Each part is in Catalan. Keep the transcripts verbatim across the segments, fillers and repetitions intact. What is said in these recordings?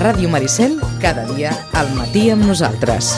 Ràdio Maricel, cada dia al matí amb nosaltres.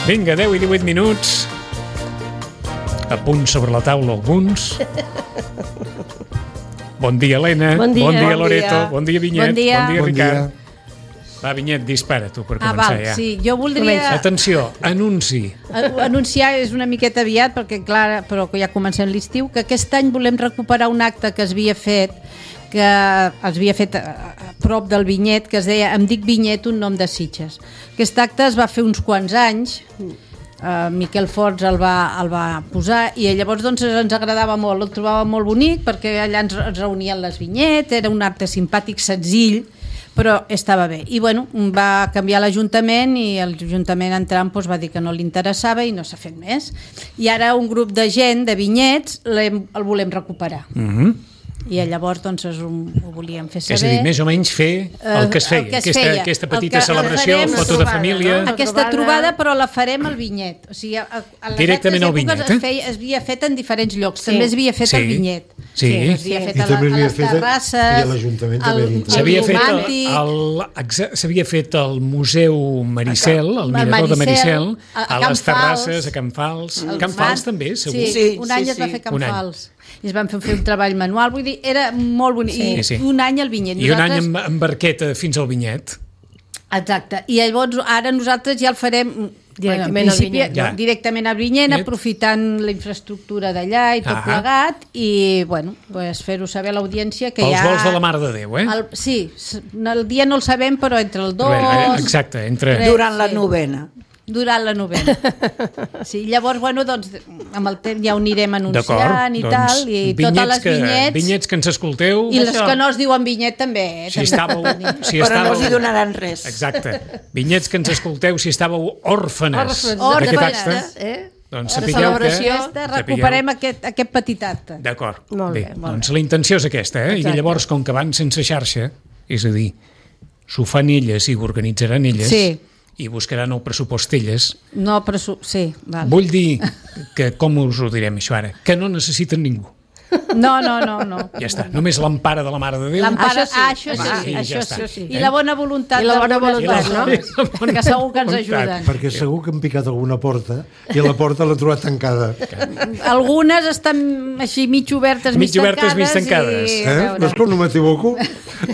Vinga, deu i divuit minuts. A punt sobre la taula alguns. Bon dia, Helena. Bon dia, bon dia bon Loreto. dia. Bon dia, Vinyet. Bon dia. Bon dia, Bon Ricard. dia. Va, Vinyet, dispara tu per Ah, començar val, ja. sí, jo voldria Atenció, anunci. anunciar, és una miqueta aviat, perquè clar, però que ja comencem l'estiu, que aquest any volem recuperar un acte que es havia fet que es havia fet a, a prop del Vinyet, que es deia Em dic Vinyet, un nom de Sitges. Aquest acte es va fer uns quants anys, uh, Miquel Forts el va, el va posar, i llavors doncs, ens agradava molt, el trobava molt bonic, perquè allà ens, ens reunien les Vinyet, era un acte simpàtic, senzill, però estava bé. I bueno, va canviar l'Ajuntament i l'Ajuntament entrant doncs, va dir que no li interessava i no s'ha fet més. I ara un grup de gent, de vinyets, el volem recuperar. Mhm. I llavors doncs, un, ho volíem fer saber. És a dir, més o menys fer el que es feia. El que es aquesta, feia. aquesta El petita que celebració, farem, foto de trobada, família. no? Aquesta trobada, però la farem al Vinyet. O sigui, a, a les Directament al Vinyet, es, eh? feia, es havia fet en diferents llocs. Sí. També es havia fet Sí. al Vinyet. Sí. Es havia fet I a, la, també a havia les fet a- terrasses. i a l'Ajuntament també al- havia fet. al S'havia fet, el, romàntic. el, exa- s'havia fet al Museu Maricel, al Al mirador de Maricel, Maricel, a- a a Can les terrasses, Fals. a Can Fals. El Can Fals Mar- també, segur. Sí, Sí, un sí, any es va sí. fer Can Un any. Fals. I es van fer, fer un treball manual, vull dir, era molt bonic. Sí, I sí. un any al Vinyet. I un any Nosaltres- amb, amb barqueta fins al Vinyet. Exacte. I llavors ara nosaltres ja el farem Directament bueno, en al principi, Vinyet. Ja. directament al Vinyet, Vinyet. aprofitant la infraestructura d'allà i tot Ah. plegat, i bueno, pues fer-ho saber a l'audiència que Pels ja... vols de la Mare de Déu, eh? El, sí, s- el dia no el sabem, però entre el dos... Bé, exacte, entre- tres, Durant la sí. novena. Durant la novena. Sí, llavors, bueno, doncs, amb el temps ja ho anirem D'acord, anunciant i doncs, tal, i vinyets totes les que, vinyets... vinyets que ens escolteu, I les Això. Això. que no es diuen Vinyet també. Eh? si estàveu... Si Però no estàveu els hi donaran res. Exacte. Vinyets que ens escolteu, si estàveu òrfanes Òrfans d'aquest Òrfanes, acte, eh? doncs La sapigueu celebració. que... Aquesta, recuperem aquest, aquest petit acte. D'acord. Molt Bé, bé, molt doncs la intenció és aquesta, eh? Exacte. I llavors, com que van sense xarxa, és a dir, s'ho fan elles i ho organitzaran elles, Sí. i buscaran el pressupost elles, No, però... su- Sí, val. vull dir que, com us ho direm això ara, que no necessiten ningú. No, no, no, no. Ja està, només l'empara de la Mare de Déu. L'empara, Això sí. ah, això sí, Va, sí, i ja això està. sí. Eh? I la bona voluntat I la bona d'algunes voluntat, no? persones, que segur que ens voluntat. ajuden. Perquè segur que han picat alguna porta i la porta l'ha trobat tancada. Algunes estan així mig obertes, mig, Mig obertes, mig tancades. I, Eh? a veure, Veus com no m'equivoco?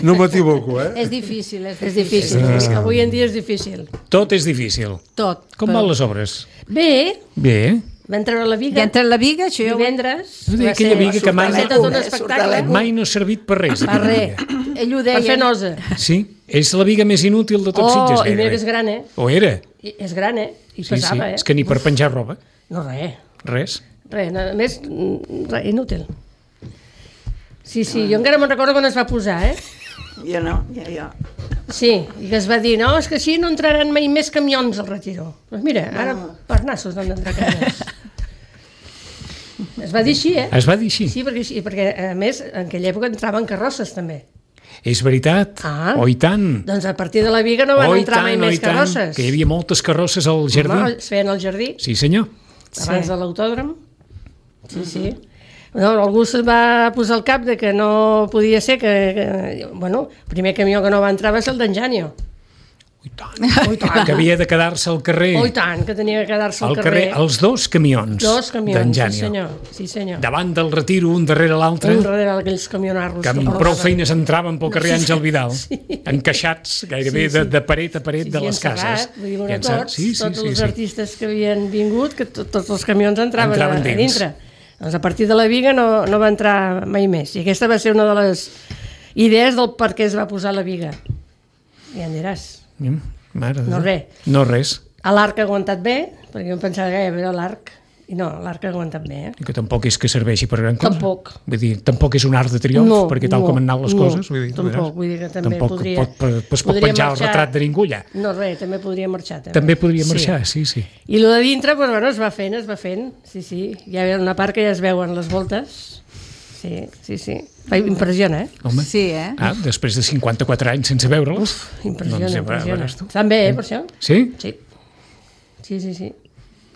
No m'equivoco, eh? és difícil, és És difícil. difícil. Avui en dia és difícil. Tot és difícil. Tot. Com però- van les obres? Bé, Bé. van treure la Ja viga entre la viga, això ja ho... divendres. No deia Va aquella ser- viga que mai- va ser tot un Surt de espectacle. Mai no ha servit per res. Per aquella res. viga. Ell ho Per fer deia. nosa. Sí, és la viga més inútil de tot Oh, Sitges. i gairebé. mira, és gran, eh? O era. I és gran, eh? I Sí, pesava, sí. eh? És que ni per penjar roba. No, res. Res. Res, a més, mm, res, inútil. Sí, sí, jo encara me'n recordo quan es va posar, eh? Jo no, jo, jo. Sí, i que es va dir, no, és que així no entraran mai més camions al Retiro. Doncs mira, ara per nassos no han d'entrar camions. Es va dir així, eh? Es va dir així. Sí, perquè, sí, perquè a més, en aquella època entraven carrosses també. És veritat. Ah. Oh, i tant. Doncs a partir de la Viga no van Oh, i entrar mai tant, oh, i més tant. carrosses. Que hi havia moltes carrosses al jardí. Home, es feien al jardí, Sí, senyor. abans Sí. de l'autòdrom. Sí, sí. No, algú se va posar al cap de que no podia ser que, que bueno, el primer camió que no va entrar va ser el d'en Janio. Oh, i tant. Oh, i tant. Que havia de quedar-se al carrer. Oh, i tant, que tenia que quedar-se al al carrer. carrer. Els dos camions Dos d'en camions, sí Janio. senyor. Sí, senyor. Davant del Retiro, un darrere l'altre, Un darrere d'aquells camionarros. que amb prou feines entraven pel carrer Àngel Vidal, Sí. encaixats gairebé Sí, sí. De, de paret a paret Sí, de sí, les encerrat, cases. vull dir, bueno, I encerrat. tots, Sí, sí, tots sí, els sí. artistes que havien vingut, que to, tots els camions entraven, Entraven a, a dins. dintre. Doncs a partir de la Viga no, no va entrar mai més. I aquesta va ser una de les idees del per què es va posar la Viga. Ja en diràs. Mm, Mare de No Déu. res. No res. A l'arc ha aguantat bé, perquè jo em pensava que era l'arc, i no, l'arc ha aguantat bé, eh? I que tampoc és que serveixi per gran cosa. Tampoc. Vull dir, tampoc és un art de triomf, No, perquè tal no, com han anat les no, coses... Vull dir, tampoc, veuràs, vull dir que també tampoc podria- pot, pot, es pot podria penjar el marxar. retrat de ningú allà. No, res, també podria marxar. També, També podria marxar, sí, sí. I el de dintre, doncs, bueno, es va fent, es va fent, sí, sí. Hi ha una part que ja es veuen les voltes. Sí, sí, sí. Fa impressiona, eh? Home. Sí, eh? Ah, després de cinquanta-quatre anys sense veure'ls. Impressiona, Doncs, ja impressiona. veuràs tu. Estan bé, eh, per això? Sí? Sí. Sí, sí, sí.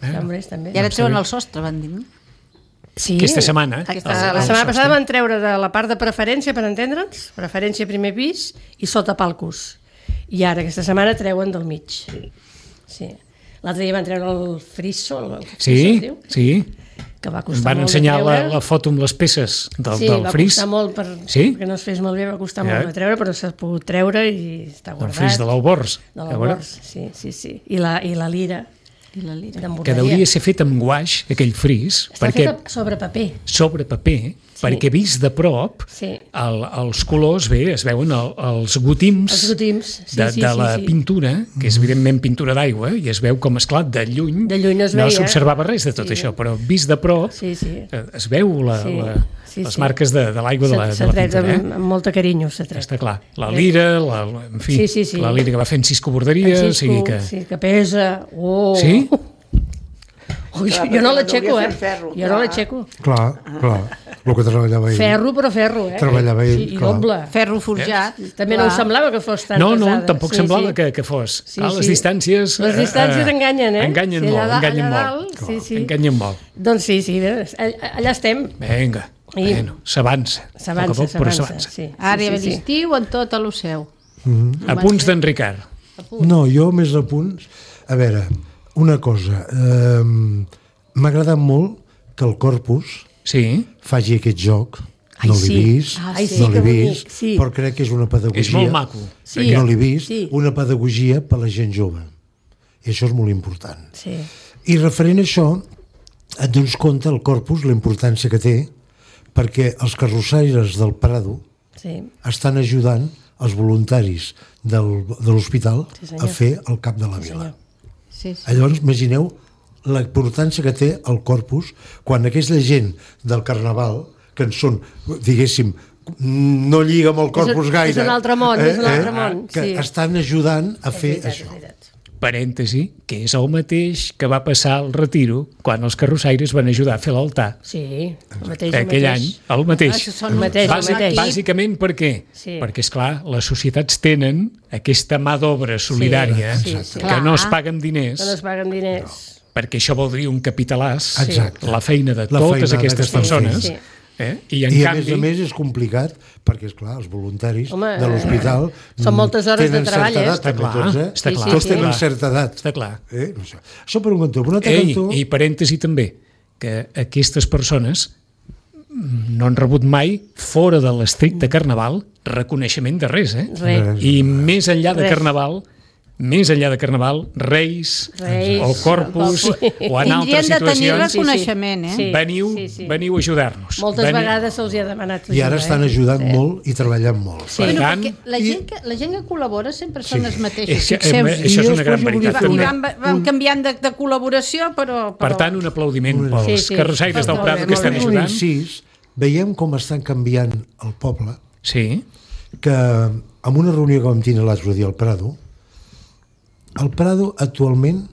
Estan bé, estan bé. I ara treuen el sostre, van dir, no? Sí. Aquesta setmana. Aquesta el- La el setmana sostre. passada van treure de la part de preferència, per entendre'ns, preferència primer pis i sota palcos. I ara, aquesta setmana, treuen del mig. Sí. L'altre dia van treure el friso, el friso, Sí, es diu, sí. que va Em costar van molt ensenyar de la, treure. la foto amb les peces del, sí, del va fris. costar molt per, Sí? perquè no es fes molt bé, va costar Ja. molt de treure, però s'ha pogut treure i està Del guardat. fris de l'Albors. De A veure, l'Albors, sí, sí, sí. I la, i la lira I la lira. que d'emborderia. deuria ser fet amb guaix, aquell fris, Està perquè feta sobre paper. sobre paper, Sí. perquè vist de prop, Sí. el, els colors, bé, es veuen el, els gotims, Els gotims, sí, de, sí, de sí, la sí. pintura, que és evidentment pintura d'aigua, i es veu com, esclar, de lluny, De lluny no es no veia. s'observava res de tot Sí. això, però vist de prop Sí, sí. eh, es veu la, Sí, la, sí, les sí. marques de, de l'aigua de, la, S'ha de la tret pintura. amb, Eh? amb molta carinyo, s'ha tret. Està clar. La lira, la, la- en fi, Sí, sí, sí. la lira que va fent Cisco Borderia, o En sigui que... Sí, que pesa. Oh. Sí? Ui, Clar, jo no perquè l'aixeco, no eh? havia fet ferro, jo no clar. l'aixeco. Clar, clar, el que treballava ell. Ferro, però ferro, eh? Treballava ell, Sí, i clar. doble. Ferro forjat. També no em semblava que fos tan No, no, pesada. tampoc Sí, semblava sí. Que, que fos. Sí, ah, les sí. distàncies... Les distàncies enganyen, eh? Enganyen Sí, allà molt, da- enganyen allà molt. dalt, sí, sí. Enganyen molt. Doncs sí, sí, bé, allà, allà estem. Vinga, I- bueno, s'avança. A S'avança, poc a poc, però s'avança. Sí, Ara sí, hi ha sí, sí. l'estiu en tot a lo seu. A punts d'en Ricard. No, jo més a punts... A veure, una cosa. Eh, M'ha agradat molt que el Corpus Sí, faci aquest joc. Ai, no l'he sí. vist, Ai, sí, no que l'he bonic, vist, sí. però crec que és una pedagogia... és molt maco. Sí. no l'he vist, Sí. una pedagogia per a la gent jove. I això és molt important. Sí. I referent a això, et dones compte, el Corpus, la importància que té, perquè els carrossaires del Prado Sí. estan ajudant els voluntaris del, de l'hospital Sí, senyor. a fer el cap de la vila. senyor. Sí, sí. Llavors, imagineu la importància que té el Corpus quan aquesta gent del Carnaval, que en són, diguéssim, no lliga amb el Corpus és gaire... un altre món, és un altre món, Que sí. estan ajudant a fer És veritat, això. és veritat. Parèntesi, que és el mateix que va passar al Retiro quan els carrossaires van ajudar a fer l'altar. Sí, el mateix, el Aquell any, mateix. el mateix. Ah, són El mateix, el Bàsic, mateix. bàsicament per què? Sí. Perquè, és clar, les societats tenen aquesta mà d'obra solidària Sí, sí, sí. que no es Clar. paguen diners, Que no es paguen diners. perquè això voldria un capitalàs, Exacte. la feina de La totes feina aquestes d'aquestes persones. Sí, sí. Eh? I, en I a canvi, més a més és complicat perquè, és clar, els voluntaris Home, de l'hospital són moltes hores de tenen treball, certa eh? edat, Està també, clar, tots, eh? està clar. Tots Sí, sí, tenen sí. certa edat. Està clar. Eh? Això. això per un cantó. Per un altre Ei, cantó... i parèntesi també, que aquestes persones no han rebut mai, fora de l'estricte carnaval, reconeixement de res, eh? Res. I més enllà de Res. carnaval, més enllà de carnaval, Reis, Reis, o Corpus, sí. o en altres Tindrien de tenir situacions, reconeixement, eh? Sí. veniu, sí, sí. veniu a ajudar-nos. Moltes Veniu- vegades se'ls hi ha demanat I ara ajuda, estan eh? ajudant Sí. molt i treballant molt. Sí. Per Bueno, tant, perquè la gent, que, la gent que col·labora sempre són els mateixos. És que, eh, Fixeu-vos. això és I una gran després jo volia veritat. fer I també. van, van canviant de, de col·laboració, però... però... Per tant, un aplaudiment pels Sí, sí. carrossaires del Molt Prado bé, que molt estan bé. Un ajudant. incís, veiem com estan canviant el poble, Sí, que en una reunió que vam tenir l'altre dia al Prado, el Prado actualment,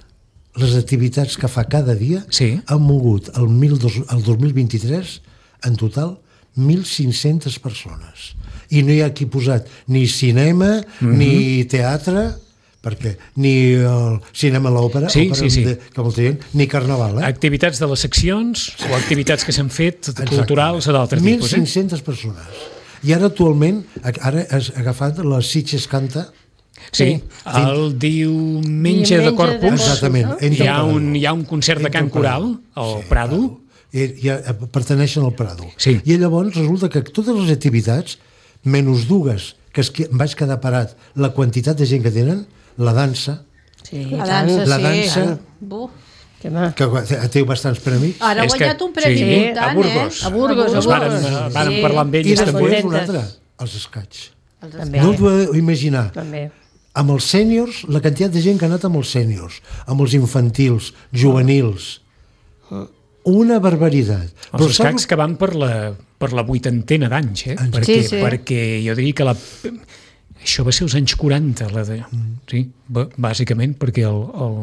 les activitats que fa cada dia Sí. han mogut el, mil dos, el dos mil vint-i-tres en total mil cinc-centes persones. I no hi ha aquí posat ni cinema, Mhm. ni teatre, perquè ni el cinema a l'òpera, Sí, òpera sí, sí. de- que molta gent, ni carnaval, eh? activitats de les seccions o activitats que s'han fet culturals o d'altres tipus. Eh? mil cinc-centes persones. I ara actualment, ara has agafat la Sitges Canta, Sí, el diumenge de Diumenge de Corpus Corpus. exactament, no? entre hi ha, el Prado. un, hi ha un concert de Entre cant el Prado. coral al Sí, Prado. I, ja pertaneixen al Prado. Sí. I llavors resulta que totes les activitats, menys dues, que es, que em vaig quedar parat, la quantitat de gent que tenen, la dansa, Sí, La i dansa, tant. La sí. dansa. Buf. Que ma. que té bastants premis, Ara ha És que- guanyat un premi sí, important, a Burgos. eh? A Burgos, a Ens varen, Burgos. varen Sí. parlar amb i ells després també. contentes. un altre, els escaig. També. No us podeu imaginar. També. amb els sèniors, la quantitat de gent que ha anat amb els sèniors, amb els infantils, juvenils, una barbaritat. Els escacs que van per la, per la vuitantena d'anys, eh? Perquè, Sí, sí. perquè jo diria que la... això va ser els anys quaranta, la de... sí, b- bàsicament, perquè el... el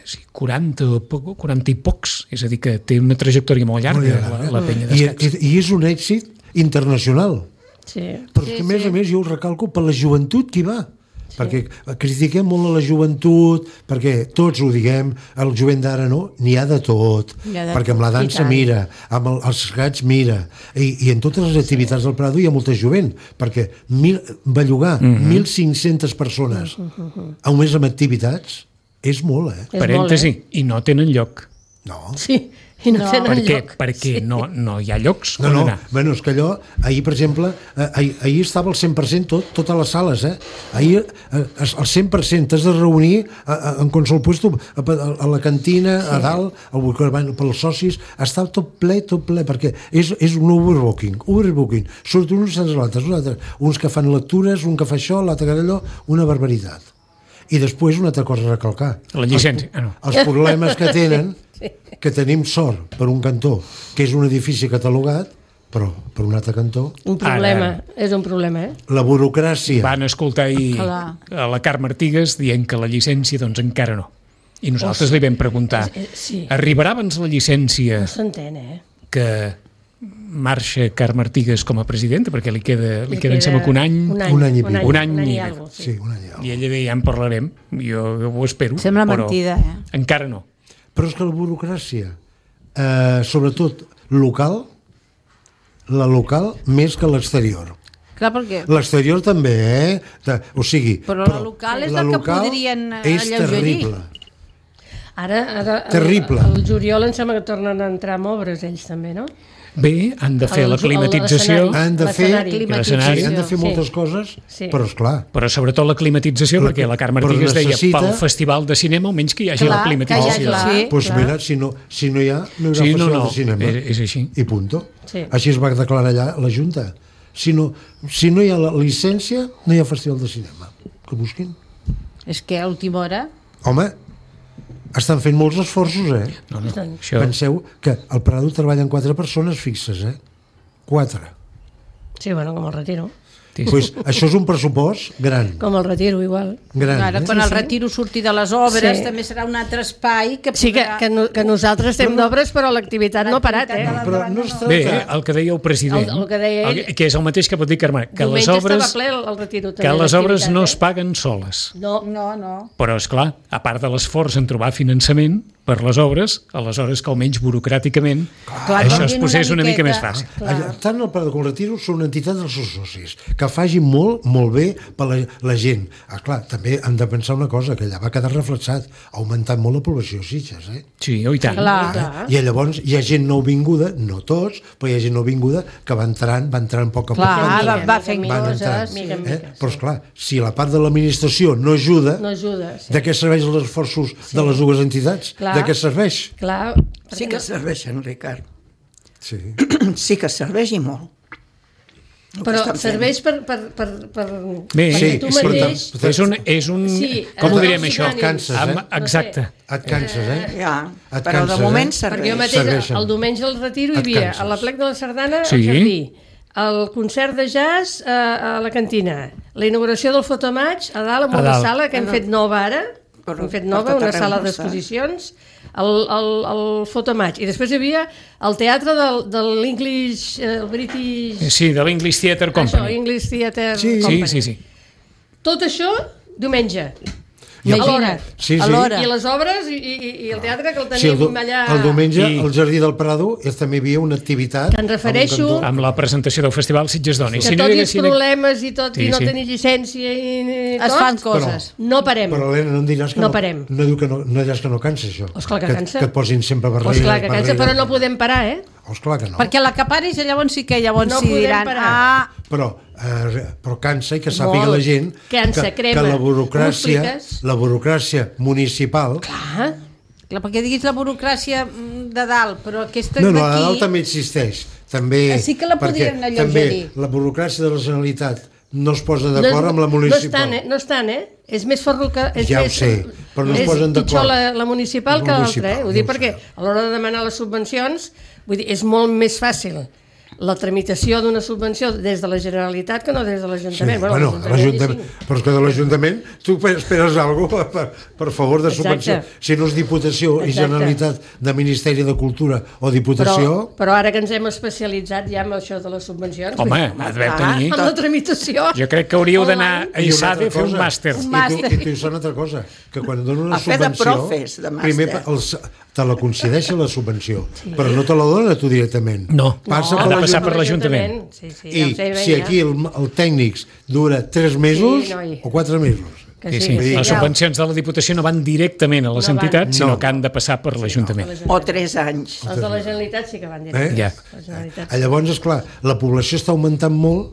sí, quaranta, o poc, quaranta i pocs, és a dir, que té una trajectòria molt llarga, Molt llarga. la, la penya I, d'escacs. i, I és un èxit internacional. Sí. Però sí, que a més sí. a més jo ho recalco per la joventut que hi va. Sí. Perquè critiquem molt a la joventut, perquè tots ho diguem, el jovent d'ara no, n'hi ha de tot, Ha de perquè amb la tot, i dansa tant. mira, amb el, els gats mira, i, i en totes les activitats del Prado hi ha molta jovent, perquè mil, bellugar mm-hmm. mil cinc-centes persones mm-hmm. a un mes amb activitats és molt, eh? És Parèntesi, molt, eh? i no tenen lloc. No. Sí, i no, No. tenen Per què? lloc. Perquè Sí. no, no hi ha llocs No, on no, anar. bueno, és que allò, ahir, per exemple, eh, ahir, ahir estava al cent per cent tot, totes les sales, eh? Ahir, eh, al cent per cent t'has de reunir a, a, en qualsevol puesto, a, a, a la cantina, sí. a dalt, al, bueno, pels socis, està tot ple, tot ple, perquè és, és un overbooking, overbooking. Surten uns sense l'altre, uns, altres, uns que fan lectures, un que fa això, l'altre que allò, una barbaritat. I després una altra cosa a recalcar. La llicència. Ah, no. Els problemes que tenen, que tenim sort per un cantó, que és un edifici catalogat, però per un altre cantó, Un problema, Ara. és un problema, eh? la burocràcia. Van escoltar ahir Clar. a la Carme Artigas dient que la llicència doncs encara no. I nosaltres li vam preguntar, Eh, Sí, arribarà abans la llicència no s'entén, eh? que marxa Carme Artigas com a presidenta, perquè li queda, li Li queda em sembla que un any, un any, un any i un any, un any un any i i algo, Sí, sí. un any i alguna i ella deia, ja en parlarem, jo, jo ho espero, Sembla però mentida, eh? encara no. Però és que la burocràcia, eh, sobretot local, la local més que l'exterior. Clar, perquè... L'exterior també, eh? De, o sigui... Però la local és la que podrien, eh, és alleugerir. terrible. Ara, ara Terrible. El, el juliol em sembla que tornen a entrar amb obres ells també, no? Bé, han de fer El- la climatització, el- Han de fer, l'escenari. sí, han de fer Sí. moltes coses, Sí. però esclar, però sobretot la climatització, La- perquè la Carme però Artigas deia necessita- pel festival de cinema almenys que hi hagi Clar, la climatització. que hi hagi, doncs sí. pues clar. mira, si no, si no hi ha, no hi haurà Sí, no, festival no, de cinema. és- és així. I punto. Sí. Així es va declarar allà la Junta. Si no, si no hi ha la llicència, no hi ha festival de cinema. Que busquin. És que a última hora... Home, estan fent molts esforços, eh? No, no, Doncs- això, Penseu que al Prado treballen quatre persones fixes, eh? Quatre. Sí, bueno, com el retiro. sí. Pues això és un pressupost gran. Com el retiro, igual. gran Ara, eh? quan el retiro surti de les obres, Sí. també serà un altre espai que Sí, que, podrà... que, no, que nosaltres estem d'obres, però l'activitat no ha parat, eh? L'activitat de Però no es Bé, tracta... el que deia el president, El- el que deia ell. el- que és el mateix que pot dir Carme, que les Diumenge obres, estava ple el, el retiro. que també, les obres no es l'activitat, paguen soles. eh? No, No, no. Però, és clar, a part de l'esforç en trobar finançament per les obres, aleshores que almenys burocràticament Clar, això canvien es una posés una mica miqueta. més fàcil. Allà, tant el Prado com el Retiro són entitats dels seus socis que facin molt, molt bé per la, la gent. Ah, clar, també hem de pensar una cosa, que allà va quedar reflexat, ha augmentat molt la població a Sitges, eh? Sí, oh, i tant. Clar. clar. I llavors hi ha gent nouvinguda, no tots, però hi ha gent nouvinguda que va entrant, va entrant a poc a poc. Clar, va va, entrant, va fent mica, van coses. entrant. mica en Eh? mica, Però, esclar, si la part de l'administració no ajuda, no ajuda. Sí. de què serveix els esforços de les dues entitats? Clar. De què serveix? Clar, Sí que serveixen, Ricard. Sí. Sí que serveix i molt. El que però estan fent. serveix per... per, per, per Bé, perquè sí, tu però mateix... tam- És un... És un Sí, com ho els direm, nous això? ànims. Canses, eh? Amb- Exacte. Et canses, eh? Ja, Et però canses, de moment eh? serveix. Perquè jo mateix, Serveixen. el diumenge al retiro hi Et havia canses. a la plec de la Sardana Sí. al jardí, el concert de jazz a, a la cantina, la inauguració del fotomatx a dalt amb A una dalt. sala que hem fet nova ara, Però hem fet per nova, tot una arreu sala no està. d'exposicions, el, el, el fotomatx. I després hi havia el teatre del, de l'English, eh, el British... Sí, de l'English Theatre Això, Company. English Theatre Sí. Sí, Company. sí, sí. Tot això, diumenge. Imagina't, Sí, sí. a l'hora. I les obres i, i, i el teatre que el Sí, el, teníem do, allà... el diumenge I- al Jardí del Prado és, també hi havia una activitat Que em refereixo- amb un cantó. Amb la presentació del Festival Sitges Dona. I Que si no tot hi i els haguessin... problemes i tot, Sí, i no sí. tenir llicència i, i Es tot, fan coses. no parem. Però, Helena, no em diràs que No no, parem. no, diu que no, no diràs que no cansa, això. Oh, esclar que cansa. Que et posin sempre Pues barrera. clar que cansa, barrera. però no podem parar, eh? Oh, esclar que no. Perquè l'acaparis llavors sí que llavors No sí podem diran... parar. Ah, Però, eh, però cansa i que sàpiga Molt. la gent Cansa, que, crema. que la M'ho burocràcia, expliques? la burocràcia municipal... Ah, clar, perquè diguis la burocràcia mm, de dalt, però aquesta No, no, a d'aquí... dalt també existeix. També, Ah, sí que la perquè podrien alleugerir. També la burocràcia de la Generalitat no es posa d'acord no, amb la no municipal. estan, eh? No estan, eh? És més ferro que... És Ja ho més, sé, però no es és posen d'acord. pitjor la, la municipal La que l'altra, municipal, eh? Ho ja dic ho perquè sé. a l'hora de demanar les subvencions, vull dir, és molt més fàcil la tramitació d'una subvenció des de la Generalitat que no des de l'Ajuntament. Sí, bueno, l'Ajuntament, però és que de l'Ajuntament tu esperes alguna cosa per, per favor de subvenció. Exacte. Si no és Diputació i Exacte. Generalitat de Ministeri de Cultura o Diputació... Però, però ara que ens hem especialitzat ja amb això de les subvencions... Home, vull dir, deveu tenir... amb la tramitació... Jo crec que hauríeu d'anar a I una ISADE a altra fer un cosa, màster. Un I tu, màster. i tu hi una altra cosa, que quan donen una A fer de subvenció... profes, de màster. primer els, te la concedeixen la subvenció, sí. però no te la dona tu directament. No, Passa ha per de passar l'Ajuntament. per l'Ajuntament. Sí, sí, I ja ho sé, si ja. aquí el, el tècnic dura tres mesos Sí, noi. o quatre mesos. Que Sí, sí, sí. que Les ja. subvencions de la Diputació no van directament a les No van. entitats, sinó No. que han de passar per l'Ajuntament. O tres anys. Els de la Generalitat sí que van dir. Eh? Ja. La Generalitat. Eh? Llavors, esclar, la població està augmentant molt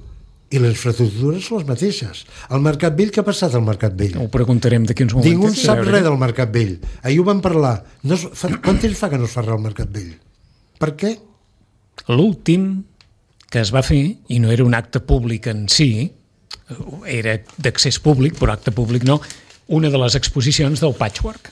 i les infraestructures són les mateixes. El Mercat Vell, què ha passat al Mercat Vell? Ho preguntarem d'aquí uns moments. Ningú en a sap veure. res del Mercat Vell. Ahir ho vam parlar. No es, fa, quant temps fa que no es fa res al Mercat Vell? Per què? L'últim que es va fer, i no era un acte públic en si, era d'accés públic, però acte públic no, una de les exposicions del Patchwork.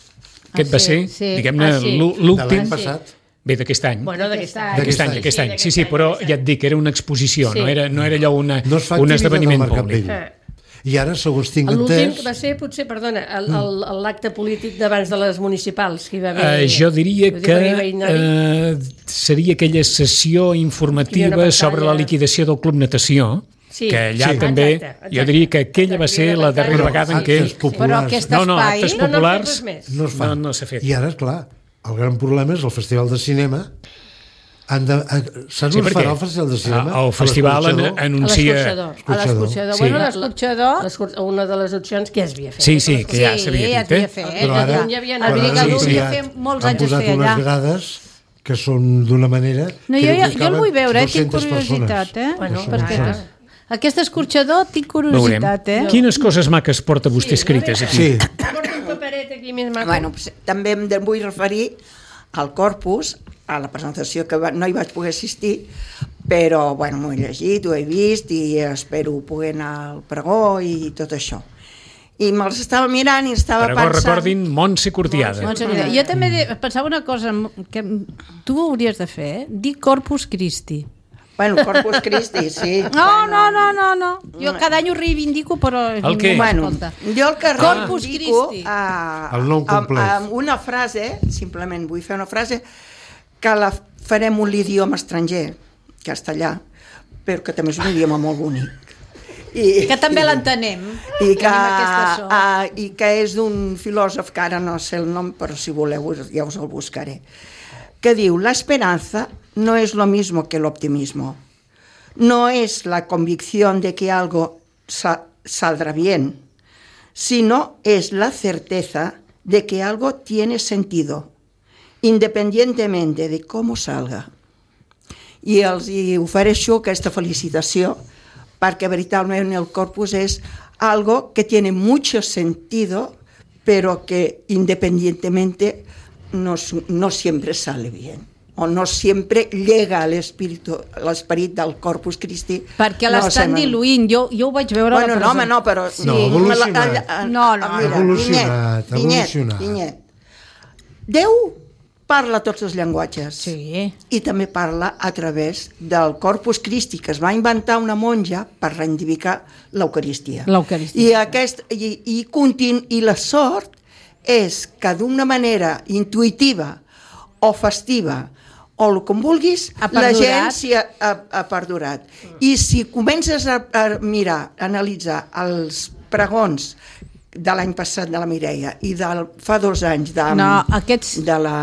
Aquest Ah, va sí, ser, sí. diguem-ne, Ah, sí. l'ú- De l'últim... l'any passat? Bé, d'aquest any. Bueno, d'aquest any. D'aquest any, d'aquest any. Sí, sí, però ja et dic, era una exposició, Sí. no era, no era allò una, No es fa un activitat al esdeveniment Mercat públic. Vell. Eh. I ara, segons tinc L'últim entès... va ser, potser, perdona, el- el- el- l'acte polític d'abans de les municipals que hi va haver. Uh, jo diria Vull dir, que va haver-hi- uh, seria aquella sessió Hi informativa havia una sobre la pantalla. liquidació del Club Natació, Sí. que allà Sí. també, Exacte, exacte. jo diria que aquella va Exacte, ser hi havia la una darrera pantalla. vegada en actes què... populars. Però aquest No, no, espai... actes No, no han fet populars res més. no es fa. no, no s'ha fet. I ara, esclar, el gran problema és el Festival de Cinema. Han de, a, saps Sí, on perquè farà el Festival de Cinema? el A festival an- l'Escorxador? anuncia... l'escorxador. A Escorxador. l'escorxador. Sí. Bueno, l'escorxador... L'escur- Una de les opcions que ja es havia fet. Sí, sí, que ja Sí, s'havia ja dit, eh? s'havia fet. Però ara, Catalunya havia anat. El però ara Vidigal han ho havia ampliat. fet molts Han anys es posat feia unes allà. grades que són d'una manera... No, que jo, crec jo, que jo el vull caben veure, eh? tinc dues-centes curiositat, persones. eh? Bueno, perquè clar. aquest escorxador tinc Veurem. curiositat, eh? Quines coses maques porta vostè escrites aquí? Sí, Porta un paperet aquí més maco. Bueno, pues, també em de- vull referir al Corpus, a la presentació que va, no hi vaig poder assistir, però bueno, m'ho he llegit, ho he vist i espero poder anar al pregó i tot això. I me'ls estava mirant i estava Però pensant... recordin Montse Cortiada. Montse Cortiada. Jo també de- pensava una cosa que tu ho hauries de fer, eh? Dir Corpus Christi. Bueno, Corpus Christi, sí. No, no, no, no, no. Jo cada any ho reivindico, però El què? ningú Bueno, m'escolta. jo el que Corpus reivindico Christi. a, El nom complet. amb, amb una frase, simplement vull fer una frase, que la farem un idioma estranger, castellà, però que també és un idioma molt bonic. I, Que també l'entenem. i que, Tenim aquesta sort. a, i que és d'un filòsof que ara no sé el nom, però si voleu ja us el buscaré, que diu: la esperanza no es lo mismo que el optimismo, no es la convicción de que algo sa- saldrá bien, sino es la certeza de que algo tiene sentido, independientemente de cómo salga. I els hi ofereixo aquesta felicitació perquè veritablement el Corpus és algo que tiene mucho sentido, pero que independientemente no, no siempre sale bien, o no siempre llega al espíritu, l'esperit del Corpus Christi. Perquè no l'estan se- diluint. Jo, jo ho vaig veure Bueno, a la no, home, presentació. no, però... Sí. No, ha evolucionat. La- la- No, no, mira, ha evolucionat, Vinyet, ha evolucionat. Vinyet, Vinyet. Déu parla tots els llenguatges. Sí. I també parla a través del Corpus Christi, que es va inventar una monja per reivindicar l'Eucaristia. L'Eucaristia. I, aquest, i, i, continu, I la sort és que d'una manera intuïtiva o festiva o el com vulguis, Ha la perdurat. gent s'hi ha, ha, ha perdurat. I si comences a, a mirar, a analitzar els pregons de l'any passat de la Mireia i del fa dos anys de, No, aquests- de la...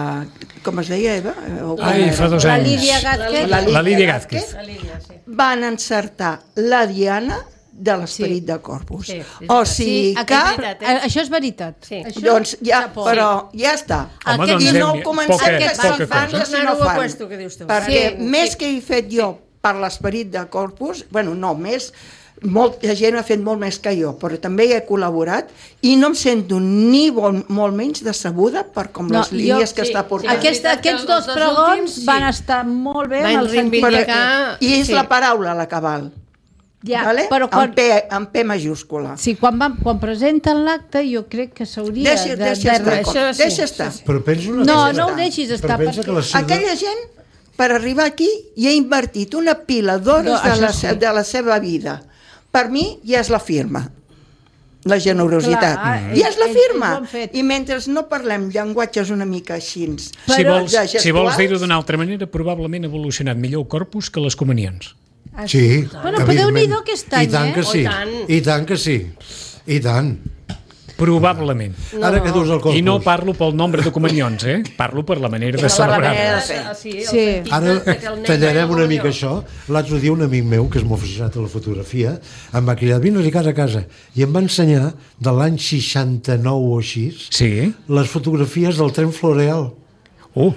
Com es deia, Eva? O com Ai, era? fa dos La anys. Lídia Gázquez. La La Lídia Gázquez. Gázquez. La Lídia, sí. Van encertar la diana de l'esperit Sí. de Corpus. Sí, és o veritat. sigui aquest- que... veritat, eh? Això és veritat. Sí. Això, Doncs ja, xapó. però ja està. Home, Aquest- doncs I no Déu-n'hi- ho comencem poca- que poca si fan cosa. que si no Anar-ho a fan. puesto, que dius tu. Perquè Sí, més sí. que he fet jo per l'esperit de Corpus, bueno, no, més, molta gent ha fet molt més que jo, però també hi he col·laborat i no em sento ni bon, molt menys decebuda per com No, les línies jo- que sí, està sí. portant. Aquest, veritat que aquests els dos dos pregons últims, sí. van estar molt bé Van en el sentit reivindicar- de que- I és Sí. la paraula, la cabal. Ja, vale? però quan- amb, P, amb P majúscula. Sí, quan, van, quan presenten l'acte jo crec que s'hauria Deixa, de... deixa de... estar, Això com- sí, deixa estar. Però pensa una No, cosa. no ho deixis estar, Però pensa perquè... que la ciutat... Aquella gent, per arribar aquí, hi ha invertit una pila d'hores No, de, això la, sí. de la seva vida. Per mi, ja és la firma. La generositat. Clar, I és la ells- firma. ells ho han fet. I mentre no parlem llenguatges una mica així... Si Però- vols, de si vols gestuals- dir-ho d'una altra manera, probablement ha evolucionat millor el corpus que les comunions. Sí, Bueno, però Déu-n'hi-do evidentment. aquest any, I tant que eh? sí. Oh, i tant. I tant que sí. I tant. Probablement. No, Ara que dius el corpus. I no parlo pel nombre de comunions, eh? Parlo per la manera de Per la celebrar. manera de fer. Sí, el Sí. sentit Ara de- de que el nen tallarem vagi una al mica comunió. això. L'altre dia un amic meu, que és molt aficionat a la fotografia, em va cridar, vine-hi casa a casa, i em va ensenyar, de l'any seixanta-nou o així, Sí. les fotografies del tren Floreal. Uh,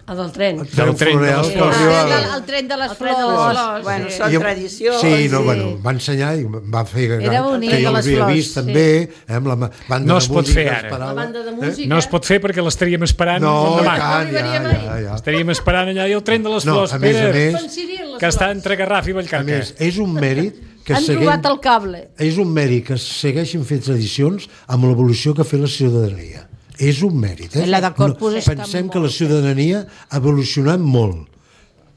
El del tren. El Del tren de les que flors. arribava- Ah, el, el tren de les El tren de les flors. flors. Bueno, Sí. són I em- tradicions. Sí, no, i- bueno, em va ensenyar i em va fer que, Era bonic, que jo de les l'havia flors, vist sí. també, eh, amb la ma- banda No de es pot música fer que ara. esperava. La banda de Eh? música. no es pot fer perquè l'estaríem esperant No, i demà. tant, ja, arribaríem ja, ja. Estaríem esperant allà i el tren de les No, flors. a més a Pere, més, Fan Ciril, les que està flors. entre Garraf i a Vallcarca. més, és un mèrit que Han seguim, trobat el cable. és un mèrit que segueixin fent tradicions amb l'evolució que ha fet la ciutadania. És un mèrit. Eh? La de Corpus està Pensem molt que la ciutadania ha evolucionat molt.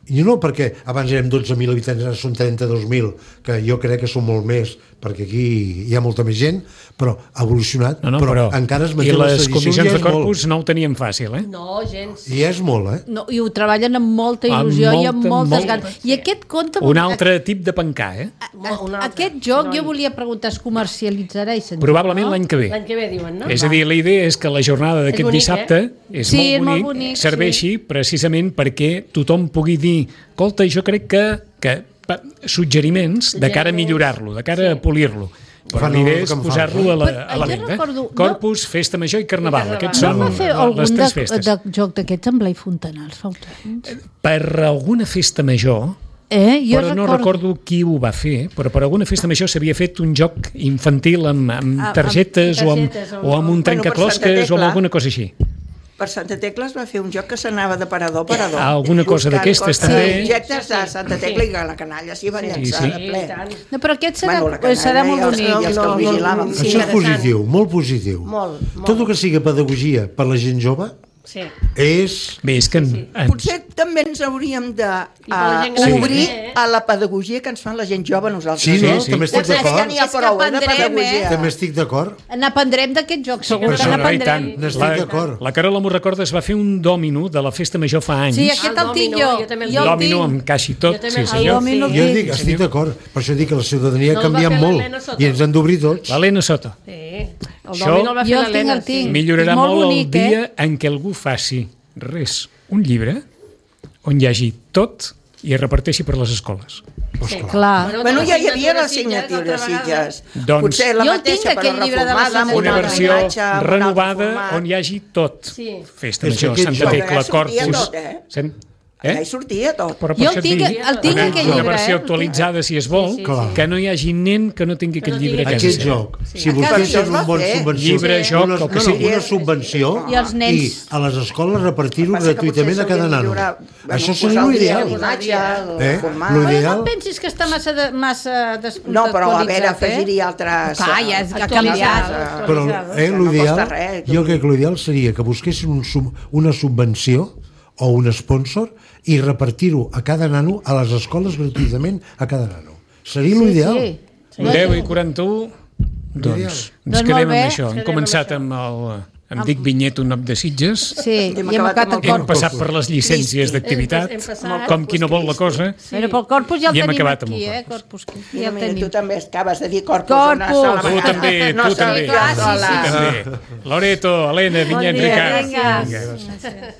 I no perquè abans érem dotze mil habitants, ara són trenta-dos mil, que jo crec que són molt més, perquè aquí hi ha molta més gent, però ha evolucionat, No, no, però, però, encara es I manté les les tradicions, comissions ja de és molt. corpus no ho teníem fàcil, eh? No, gens. I és molt, eh? No, I ho treballen amb molta Amb il·lusió i amb molta, moltes molta. ganes. I aquest conte... Un altre tip de pencar, eh? Mo- un altre. Aquest joc, No, jo volia preguntar, es comercialitzarà i se'n Probablement l'any que ve. L'any que ve, diuen, no? És a dir, la idea és que la jornada d'aquest bonic, dissabte és Sí, és molt molt bonic, bonic, serveixi precisament perquè tothom pugui dir, escolta, jo crec que, que pa, suggeriments de cara a millorar-lo, de cara a polir-lo. Però Fan l'idea el és que em fa. posar-lo a la, Però, a la jo venda. recordo- no- Corpus, Festa Major i Carnaval. I Aquests Carnaval. No són va fer les algun tres de, festes. de joc d'aquests amb Blai Fontanals fa uns anys? Per alguna festa major, Eh, jo però no recordo qui ho va fer, però per alguna festa major s'havia fet un joc infantil amb, amb Ah, amb targetes, targetes o, amb, o- o amb un Bueno, per trencaclosques Santa o amb Tecla. alguna cosa així. Per Santa Tecla es va fer un joc que s'anava de parador a parador. Alguna cosa Buscant d'aquestes, coses, també. Objectes de Sí, Santa sí. Tecla i que la canalla s'hi va llançar sí. de Sí, ple. i tant. No, però aquest serà, Bueno, la canalla serà molt i els- bonic. i els que el No, no, vigilàvem. sí, Això és interessant. positiu, molt positiu. Molt, molt. Tot el que sigui pedagogia per la gent jove Sí. és... Bé, és que en, ens, Potser també ens hauríem de I per la uh, gent gran obrir també, eh? a la pedagogia que ens fan la gent jove a nosaltres. Sí, no? sí. També estic Potser que d'acord. n'hi ha És que prou, eh, de aprendrem, pedagogia. També estic d'acord. N'aprendrem d'aquest joc, segur Però que això, no, i n'aprendrem. tant. N'estic La, d'acord. la Carola m'ho recorda, es va fer un dòmino de la festa major fa anys. Sí, Ah, aquest el el tinc dòmino, jo. jo també el Jo el Dòmino tinc. amb caixa i tot, Jo també sí el senyor. dòmino. Jo Sí, dic, estic d'acord. Per això dic que la ciutadania No ha el va canviat fer molt l'Helena Soto. i ens han d'obrir tots. L'Helena Soto. Sí. El Això- dòmino el va fer Jo el tinc, l'Helena. el tinc. Sí. Millorarà És molt molt bonic, el dia eh? en què algú faci res, un llibre, on hi hagi tot i es reparteixi per les escoles. Sí. Clar. Bueno, ja hi havia la de Sitges, signatura de altra vegada. Sitges. Doncs- Potser la Jo el mateixa, tinc, però aquell llibre de la reformada, amb signatura. Una altra versió imatge, amb un altre renovada format. on hi hagi tot. Sí. Festa És Major, que aquest Santa joc- Tecla, Allà sortia Corpus... tot, eh? Sent- Allà hi Eh? sortia tot. Però per Jo això el tinc, et dic, el tinc una, aquell una llibre, versió eh? actualitzada, si es vol, Sí, sí, Clar. que no hi hagi nen que no tingui Que aquest no llibre a tingui casa Aquest seva. joc, si A casa vostès això es tenen va un bon fer. subvenció, Llibre, joc, una, el que no, no, sigui. una subvenció I els nens. i a les escoles repartir-ho Passa que gratuïtament potser a cada s'hauria de nano. millorar, bueno, Això posar seria al dia l'ideal. l'imatge, el Eh? format. Lo Però ideal- no pensis que està massa, de, massa descontextualitzat, No, però a veure, eh? afegir-hi altres... Clar, ja és que ha Actualitzat. canviat. Però eh, no l'ideal, costa res, jo crec que l'ideal seria que busquessin un sub, una subvenció o un sponsor i repartir-ho a cada nano a les escoles gratuïtament a cada nano. Seria l'ideal. Sí, sí. deu i quaranta-u, doncs ens Doncs quedem molt amb bé. això. Hem començat amb el amb Dic Vinyet, un nom de Sitges, Sí, Hem i hem acabat acabat amb el el hem corpus. passat per les llicències d'activitat, Hem passat- com qui no vol la cosa, Però pel corpus ja el I hem tenim acabat amb aquí, el eh? Corpus. Corpus, que ja Mira, el mira, tu tenim. també acabes de dir corpus. Corpus. una sola Tu vegada. també, no tu sola també. jo Clar, sí, sola. sí, també. Loreto, Helena, Vinyet, dia, Ricard. Vinga. Vinga.